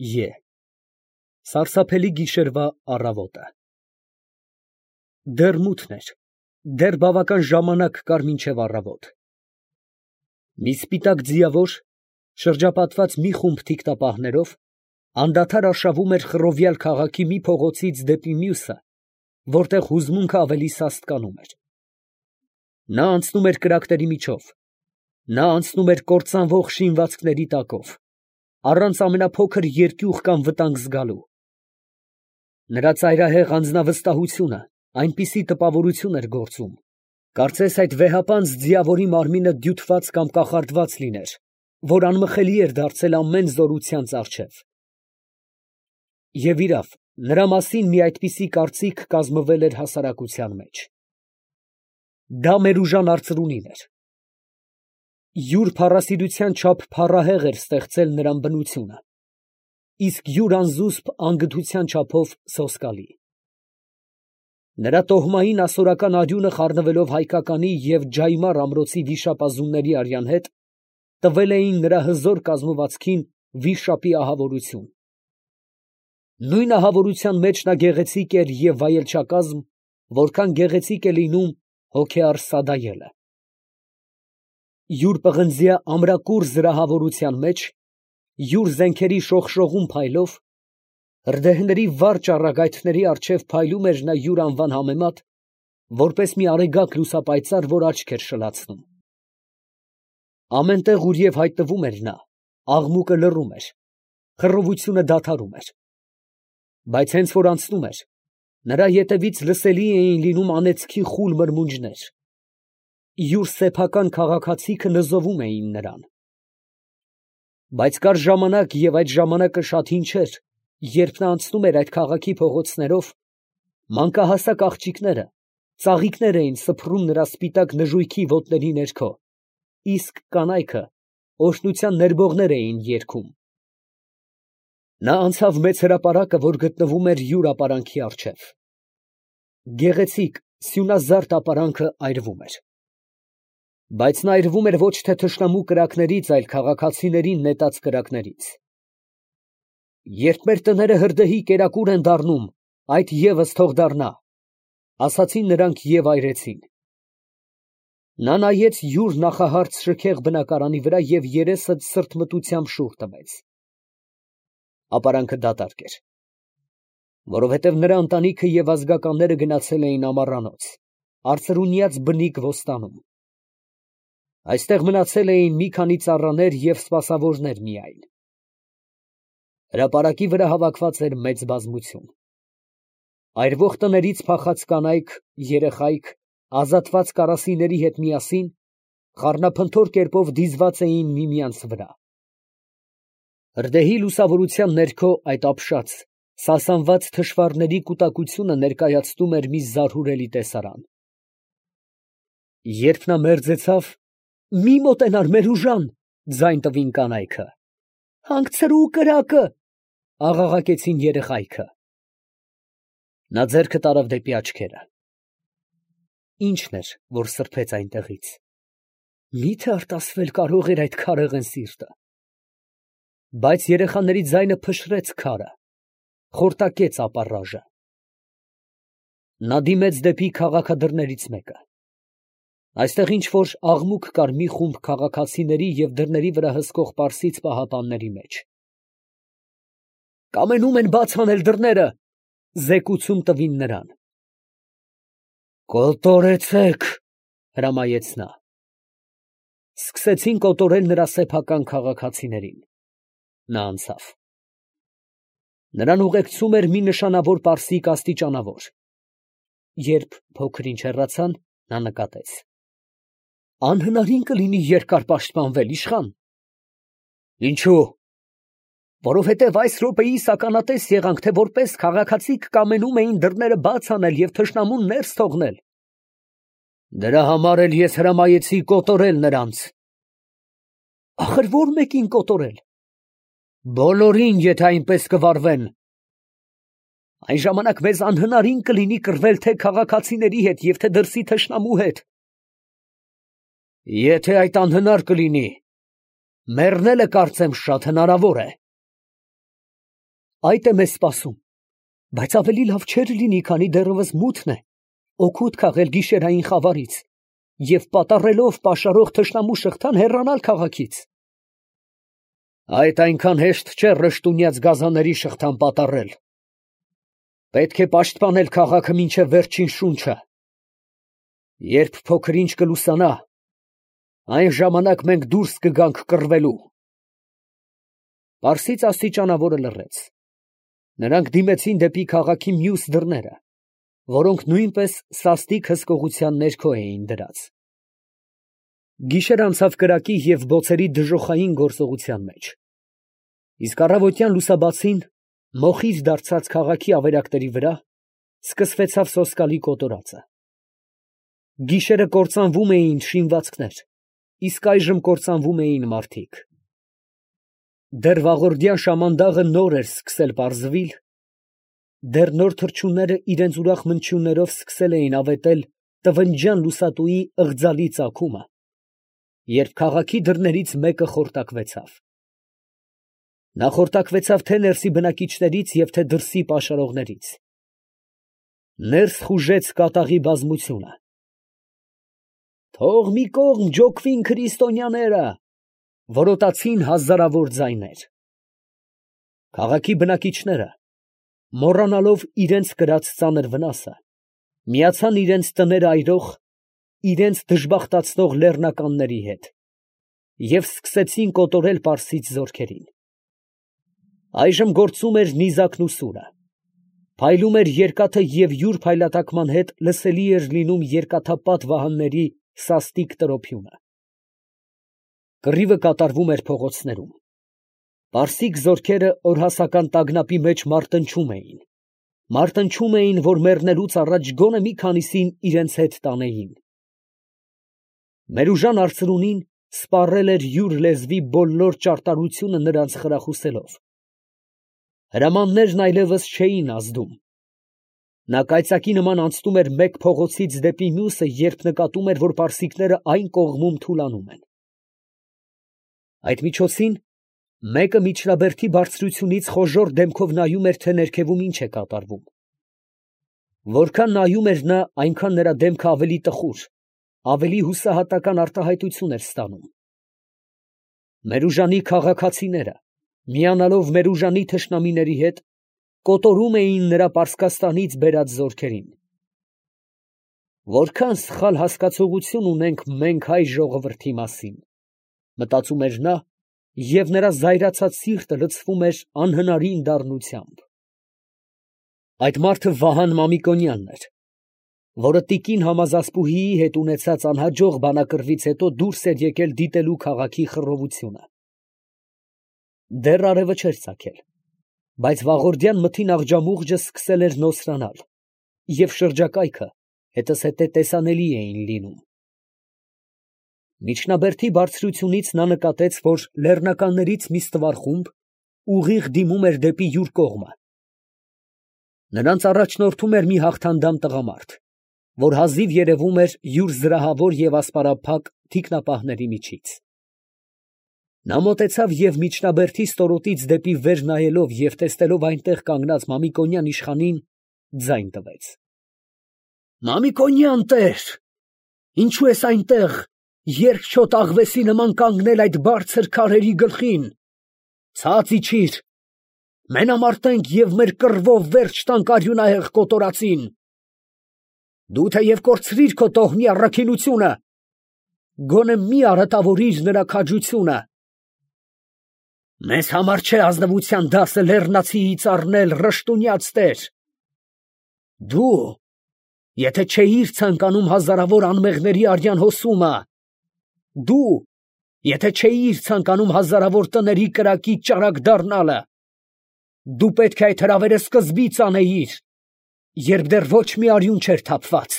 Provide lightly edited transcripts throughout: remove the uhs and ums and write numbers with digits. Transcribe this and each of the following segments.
Է Սարսափելի գիշերվա առավոտը։ Դեռ մութն էր, դեռ բավական ժամանակ կար մինչև առավոտ։ Մի սպիտակ ձիավոր, շրջապատված մի խումբ թիկնապահներով, անդադար արշավում էր խռովյալ քաղաքի մի փողոցից դեպի մյուսը, որտեղ հուզմունքը ավելի սաստկանում էր։ Նա անցնում էր կրակների միջով, նա անցնում էր կործանվող շինվածքների տակով, առանց ամենափոքր երկյուղ կամ վտանգ զգալու։ Նրա ծայրահեղ անձնավստահությունը այնպիսի տպավորություն էր գործում, կարծես այդ վեհապանծ ձիավորի մարմինը դյութված կամ կախարդված լիներ, որ անմխելի էր դարձել ամեն զորությանց առջև։ Եվ իրավ, նրա մասին մի այդպիսի կարծիք կազմվել էր հասարակության մեջ։ Դա Մերուժան արծրունին էր։ Յուր փառասիրության չափ փառահեղ էր ստեղծել նրան բնությունը, իսկ յուր անզուսպ անգթության չափով սոսկալի։ Նրա տոհմային ասորական արյունը խառնվելով հայկականի և Ջայմար ամրոցի վիշապազունների արյան հետ, տվել էին նրա հզոր կազմվածքին վիշապի ահավորություն։ Նույն ահավորության մեջ նա գեղեցիկ էր և վայելչակազմ, որքան գեղեցիկ է լինում հոգեառ սադայելը։ Յուր պղնձյա ամրակուռ զրահավորության մեջ, յուր զենքերի շողշողուն փայլով, հրդեհների վառ ճառագայթների առջև փայլում էր նա յուր անվան համեմատ, որպես մի արեգակ լուսապայծառ, որ աչք էր շլացնում։ Ամեն տեղ, ուր և հայտնվում էր նա, աղմուկը լռում էր, խռովությունը դադարում էր։ Բայց հենց որ անցնում էր, նրա ետևից լսելի էին լինում անեծքի խուլ մրմունջներ։ Յուր սեփական քաղաքացիքը նզովում էին նրան։ Բայց կար ժամանակ, և այդ ժամանակը շատ հին չէր, երբ նա անցնում էր այդ քաղաքի փողոցներով, մանկահասակ աղջիկները, ծաղիկներ էին սփռում նրա սպիտակ նժույգի ոտների ներքո, իսկ կանայքը օրհնության ներբողներ էին երգում։ Նա անցավ մեծ հրապարակը, որ գտնվում էր յուր ապարանքի առջև։ Գեղեցիկ, սյունազարդ ապարանքը այրվում էր։ Բայց նա այրվում էր ոչ թե թշնամու կրակներից, այլ քաղաքացիներին նետած կրակներից։ Երբ մեր տները հրդեհի կերակուր են դառնում, այդ ևս թող դառնա, ասացին նրանք և այրեցին։ Նա նայեց յուր նախահարց շքեղ բնակարանի վրա և երեսը սրտմտությամբ շուռ տվեց։ Ապարանքը դատարկ էր, որովհետև նրա ընտանիքը և ազգականները գնացել էին ամառանոց, արծրունյաց բնիկ ոստանում։ Այստեղ մնացել էին մի քանի ծառաներ և սպասավորներ միայն։ Հրապարակի վրա հավաքված էր մեծ բազմություն։ Այրվող տներից փախած կանայք, երեխայք, ազատված կարասիների հետ միասին, խառնափնթոր կերպով դիզված էին միմյանց վրա։ Հրդեհի լուսավորության ներքո այդ ապշած, սասանված թշվառների կուտակությունը ներկայացնում էր մի զարհուրելի տեսարան։ Երբ նա մերձեցավ, «Մի մոտենար, Մերուժան», ձայն տվին կանայքը։ «Հանգցրու կրակը», աղաղակեցին երեխայքը։ Նա ձեռքը տարավ դեպի աչքերը։ Ի՞նչն էր, որ սրբեց այնտեղից։ Մի՞թե արտասվել կարող էր այդ քարեղեն սիրտը։ Բայց երեխաների ձայնը փշրեց քարը, խորտակեց ապառաժը։ Նա դիմեց դեպի քաղաքադրներից մեկը։ Այստեղ ինչ֊որ աղմուկ կար մի խումբ քաղաքացիների և դռների վրա հսկող պարսից պահապանների մեջ։ «Կամենում են բաց անել դռները», զեկուցում տվին նրան։ «Կոտորեցե՛ք», հրամայեց նա։ Սկսեցին կոտորել նրա սեփական քաղաքացիներին։ Նա անցավ։ Նրան ուղեկցում էր մի նշանավոր պարսիկ աստիճանավոր։ Երբ փոքր ինչ հեռացան, նա նկատեց. «Անհնարին կլինի երկար պաշտպանվել, իշխան»։ «Ինչո՞ւ»։ «Որովհետև այս րոպեիս ականատես եղանք, թե որպես քաղաքացիք կամենում էին դռները բաց անել և թշնամուն ներս թողնել»։ «Դրա համար էլ ես հրամայեցի կոտորել նրանց»։ «Ախր ո՞ր մեկին կոտորել»։ «Բոլորին, եթե այնպես կվարվեն»։ «Այն ժամանակ մեզ անհնարին կլինի կռվել թե քաղաքացիների հետ և թե դրսի թշնամու հետ»։ «Եթե այդ անհնար կլինի, մեռնելը կարծեմ շատ հնարավոր է»։ այդ է մեզ սպասում, բայց ավելի լավ չէր լինի, քանի դեռևս մութն է, օգուտ քաղել գիշերային խավարից և պատառելով պաշարող թշնամու շղթան հեռանալ քաղաքից։ Այդ այնքան հեշտ չէ ռշտունյաց գազանների շղթան պատառել։ Պետք է պաշտպանել քաղաքը մինչև վերջին շունչը։ Երբ փոքր ինչ կլուսանա, այն ժամանակ մենք դուրս կգանք կռվելու։ Պարսից աստիճանավորը լռեց։ Նրանք դիմեցին դեպի քաղաքի մյուս դռները, որոնք նույնպես սաստիկ հսկողության ներքո էին դրած։ Գիշեր անցավ կրակի և բոցերի դժոխային գործողության մեջ։ Իսկ առավոտյան լուսաբացին, մոխիր դարձած քաղաքի ավերակների վրա, սկսվեցավ սոսկալի կոտորածը։ Գիշերը կործանվում էին շինվածքներ, իսկ այժմ կործանվում էին մարդիկ։ Դեռ վաղորդյան շամանդաղը նոր էր սկսել պարզվել, դեռ նոր թռչունները իրենց ուրախ մնչյուններով սկսել էին ավետել տվնջյան լուսատուի ըղձալի ծագումը, երբ քաղաքի դռներից մեկը խորտակվեցավ։ Նա խորտակվեցավ թե ներսի բնակիչներից և թե դրսի պաշարողներից։ Ներս խուժեց կատաղի բազմությունը։ «Թող մի կողմ ջոկվին քրիստոնյաները», որոտացին հազարավոր ձայներ։ Քաղաքի բնակիչները, մոռանալով իրենց կրած ծանր վնասը, միացան իրենց տները այրող, իրենց դժբախտացնող լեռնականների հետ և սկսեցին կոտորել պարսից զորքերին։ Այժմ գործում էր նիզակն ու սուրը, փայլում էր երկաթը և յուր փայլատակման հետ լսելի էր լինում երկաթապատ վահանների սաստիկ տրոփյունը։ Կռիվը կատարվում էր փողոցներում։ Պարսիկ զորքերը օրհասական տագնապի մեջ մարտնչում էին, որ մեռնելուց առաջ գոնե մի քանիսին իրենց հետ տանեին։ Մերուժան արծրունին սպառել էր յուր լեզվի բոլոր ճարտարությունը նրանց խրախուսելով։ Հրամաններն այլևս չէին ազդում։ Նա կայծակի նման անցնում էր մեկ փողոցից դեպի մյուսը, երբ նկատում էր, որ պարսիկները այն կողմում թուլանում են։ Այդ միջոցին մեկը միջնաբերդի բարձրությունից խոժոռ դեմքով նայում էր, թե ներքևում ինչ է կատարվում։ Որքան նայում էր նա, այնքան նրա դեմքը ավելի տխուր, ավելի հուսահատական արտահայտություն էր ստանում։ Մերուժանի քաղաքացիները, միանալով Մերուժանի թշնամիների հետ, կոտորում էին նրա Պարսկաստանից բերած զորքերին։ Որքան սխալ հասկացողություն ունենք մենք հայ ժողովրդի մասին, մտածում էր նա, և նրա զայրացած սիրտը լցվում էր անհնարին դառնությամբ։ Այդ մարդը Վահան Մամիկոնյանն էր, որը տիկին Համազասպուհիի հետ ունեցած անհաջող բանակռվից հետո դուրս էր եկել դիտելու քաղաքի խռովությունը։ Դեռ արևը չէր ծագել, բայց վաղորդյան մթին աղջամուղջը սկսել էր նոսրանալ, և շրջակայքը հետզհետե տեսանելի էին լինում։ Միջնաբերդի բարձրությունից նա նկատեց, որ լեռնականներից մի ստվար խումբ ուղիղ դիմում էր դեպի յուր կողմը։ Նրանց առաջնորդում էր մի հաղթանդամ տղամարդ, որ հազիվ երևում էր յուր զրահավոր և ասպարափակ թիկնապահների միջից։ Նա մոտեցավ և միջնաբերդի ստորոտից դեպի վեր նայելով և տեսնելով այնտեղ կանգնած Մամիկոնյան իշխանին, ձայն տվեց. «Մամիկոնյան տեր, ինչու ես այնտեղ, երկչոտ աղվեսի նման կանգնել այդ բարձր քարերի գլխին, ցած իջիր, մենամարտենք և մեր կռվով վերջ տանք արյունահեղ կոտորածին։ Դու թեև կորցրիր քո տոհմի առաքինությունը, գոնե մի արատավորիր նրա քաջությունը։ Մեզ համար չէ ազնվության դասը լեռնացիից առնել, ռշտունյաց տեր։ Դու, եթե չէիր ցանկանում հազարավոր անմեղների արյան հոսումը, դու, եթե չէիր ցանկանում հազարավոր տների կրակի ճարակ դառնալը, դու պետք է այդ հրավերը սկզբից անեիր, երբ դեռ ոչ մի արյուն չէր թափված։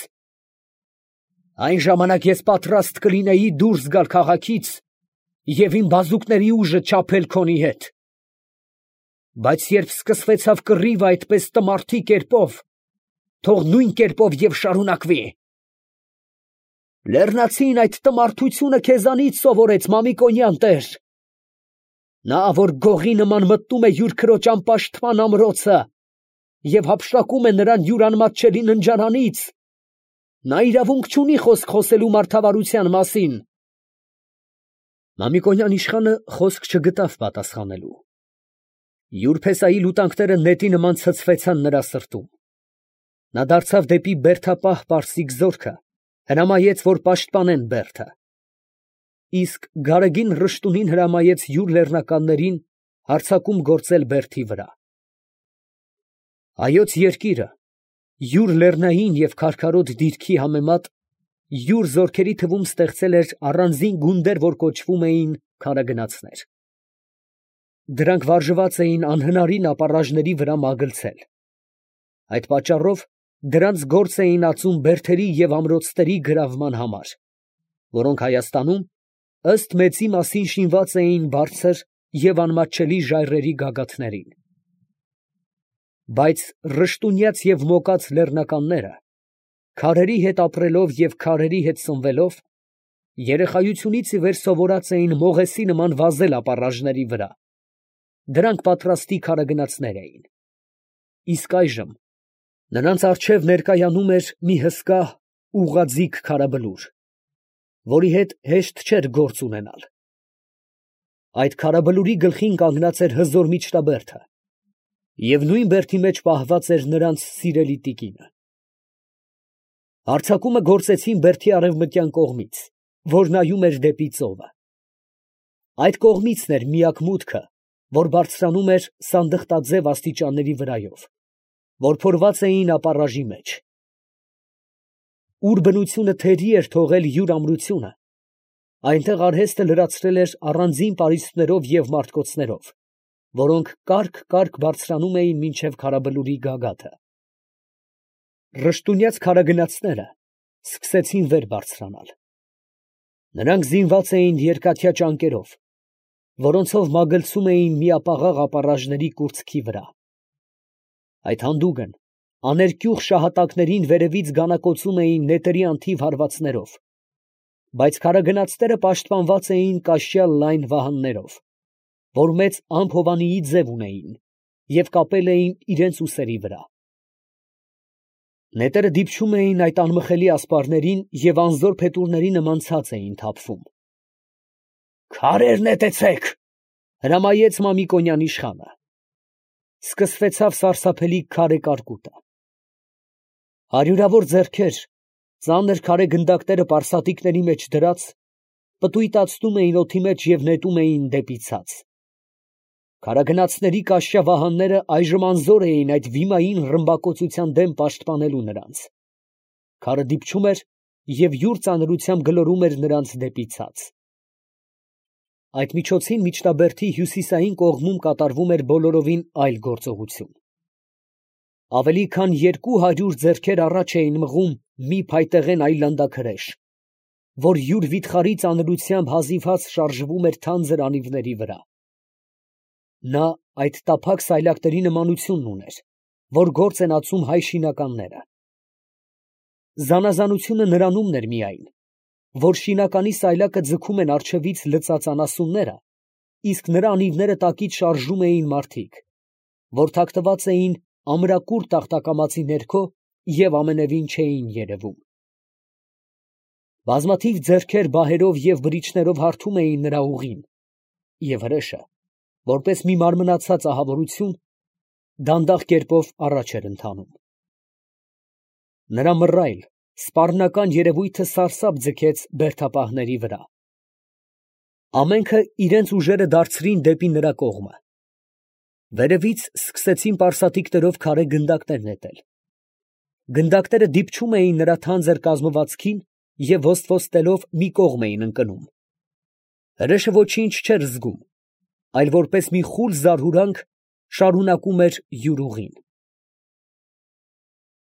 Այն ժամանակ ես պատրաստ կլինեի դուրս գալ քաղաքից և իմ բազուկների ուժը չափել քոնի հետ։ Բայց երբ սկսվեցավ կռիվը այդպես տմարդի կերպով, թող նույն կերպով և շարունակվի։ Լեռնացին այդ տմարդությունը քեզանից սովորեց, Մամիկոնյան տեր։ Նա, որ գողի նման մտնում է յուր քրոջ անպաշտպան ամրոցը և հափշտակում է նրան յուր անմատչելի ննջարանից, նա իրավունք չունի խոսք խոսելու մարդավարության մասին։ Մամիկոնյան իշխանը խոսք չգտավ պատասխանելու։ Յուր փեսայի լուտանքները նետի նման ցցվեցան նրա սրտում։ Նա դարձավ դեպի բերդապահ պարսիկ զորքը, հրամայեց, որ պաշտպանեն բերդը։ Իսկ Գարեգին Ռշտունին հրամայեց յուր լեռնականներին հարձակում գործել բերդի վրա։ Հայոց երկիրը յուր լեռնային և քարքարոտ դիրքի համեմատ յուր զորքերի թվում ստեղծել էր առանձին գունդեր, որ կոչվում էին քարագնացներ։ Դրանք վարժված էին անհնարին ապառաժների վրա մագլցել։ Այդ պատճառով դրանց գործ էին ածում բերդերի և ամրոցների գրավման համար, որոնք Հայաստանում ըստ մեծի մասին շինված էին բարձր և անմատչելի ժայռերի գագաթներին։ Բայց ռշտունյաց և մոկած լեռնականները, քարերի հետ ապրելով և քարերի հետ սնվելով, երեխայությունից ի վեր սովորած էին մողեսի նման վազել ապառաժների վրա. դրանք պատրաստի քարագնացներ էին։ Իսկ այժմ նրանց առջև ներկայանում էր մի հսկա ուղղաձիգ քարաբլուր, որի հետ հեշտ չէր գործ ունենալ։ Այդ քարաբլուրի գլխին կանգնած էր հզոր միջնաբերդը, և նույն բերդի մեջ պահված էր նրանց սիրելի տիկինը։ Հարձակումը գործեցին բերդի արևմտյան կողմից, որ նայում էր դեպի ծովը։ Այդ կողմիցն էր միակ մուտքը, որ բարձրանում էր սանդղտաձև աստիճանների վրայով, որ փորված էին ապառաժի մեջ։ Ուր բնությունը թերի էր թողել յուր ամրությունը, այնտեղ արհեստը լրացրել էր առանձին պարիսպներով և մարտկոցներով, որոնք կարգ բարձրանում էին մինչև քարաբլուրի գագաթը։ Ռշտունյաց քարագնացները սկսեցին վեր բարձրանալ։ Նրանք զինված էին երկաթյա ճանկերով, որոնցով մագլցում էին միապաղաղ ապառաժների կուրծքի վրա։ Այդ հանդուգն աներկյուղ շահատակներին վերևից գանակոծում էին նետերի անթիվ հարվածներով, բայց քարագնացները պաշտպանված էին կաշյալ լայն վահաններով, որ մեծ ամփովանիի ձև ունեին և կապել էին իրենց ուսերի վրա։ Նետերը դիպչում էին այդ անմխելի ասպարներին և անզոր փետուրների նման ցած էին թափվում։ «Քարեր նետեցեք», հրամայեց Մամիկոնյան իշխանը։ Սկսվեցավ սարսափելի քարե կարկուտը։ Հարյուրավոր ձեռքեր, ծանր քարե գնդակները պարսատիկների մեջ դրած, պտույտացնում էին օդի մեջ և նետում էին դեպի ցած։ Քարագնացների կաշյա վահանները այժմ անզոր էին այդ վիմային ռմբակոծության դեմ պաշտպանելու նրանց։ Քարը դիպչում էր և յուր ծանրությամբ գլորում էր նրանց դեպի ցած։ Այդ միջոցին միջնաբերդի հյուսիսային կողմում կատարվում էր բոլորովին այլ գործողություն։ Ավելի քան 200 ձեռքեր առաջ էին մղում մի փայտեղեն այլանդակրեշ, որ յուր վիթխարի ծանրությամբ հազիվհազ շարժվում էր թանձր անիվների վրա։ Նա այդ տափակ սայլակների նմանությունն ուներ, որ գործ են ածում հայ շինականները։ Զանազանությունը նրանումն էր միայն, որ շինականի սայլակը ձգում են առջևից լծած անասունները, իսկ նրա անիվները տակից շարժում էին մարդիկ, որ թաքնված էին ամրակուր տախտակամածի ներքո և ամենևին չէին երևում։ Բազմաթիվ ձեռքեր բահերով և բրիչներով հարթում էին նրա ուղին, և հրեշը, որպես մի մարմնացած ահավորություն, դանդաղ կերպով առաջ էր ընթանում։ Նրա մռայլ, սպառնական երևույթը սարսափ ձգեց բերդապահների վրա։ Ամենքը իրենց ուժերը դարձրին դեպի նրա կողմը։ Վերևից սկսեցին պարսատիկներով քարե գնդակներ նետել։ Գնդակները դիպչում էին նրա թանձր կազմվածքին և ոստվոստելով մի կողմ էին ընկնում։ Հրեշը ոչինչ չէր զգում, այլ որպես մի խուլ զարհուրանք շարունակում էր յուր ուղին։